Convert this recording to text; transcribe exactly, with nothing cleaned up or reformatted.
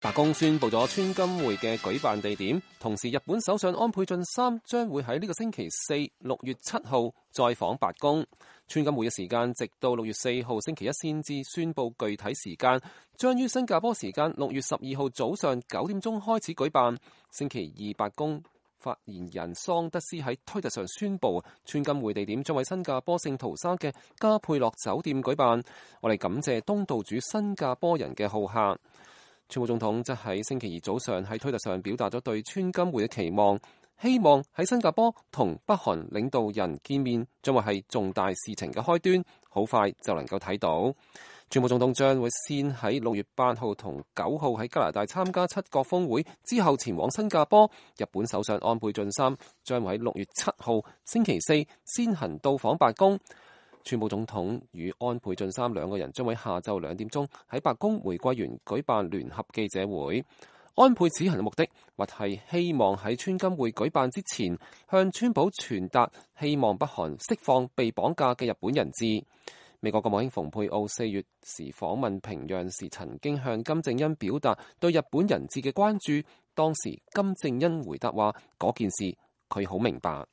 白宮宣布咗川金會嘅舉辦地點，同時日本首相安倍晉三將會喺呢個星期四六月七號再訪白宮。川金會嘅時間直到六月四號星期一先至宣布具體時間，將於新加坡時間六月十二號早上九點鐘開始舉辦。星期二白宮發言人桑德斯喺推特上宣布，川金會地點將喺新加坡聖淘沙嘅加佩洛酒店舉辦。我哋感謝東道主新加坡人嘅好客。川普總統則喺星期二早上喺推特上表達咗對川金會嘅期望，希望喺新加坡同北韓領導人見面將會係重大事情嘅開端，好快就能夠睇到。川普總統將會先喺六月八號同九號喺加拿大參加七國峰會，之後前往新加坡。日本首相安倍晉三將會喺六月七號星期四先行到訪白宮。川普總統與安倍晉三兩個人將會下晝兩點鐘喺白宮玫瑰園舉辦聯合記者會。安倍此行嘅目的，或係希望喺川金會舉辦之前，向川普傳達希望北韓釋放被綁架嘅日本人質。美國國務卿蓬佩奧四月時訪問平壤時，曾經向金正恩表達對日本人質嘅關注。當時金正恩回答話：嗰件事佢好明白。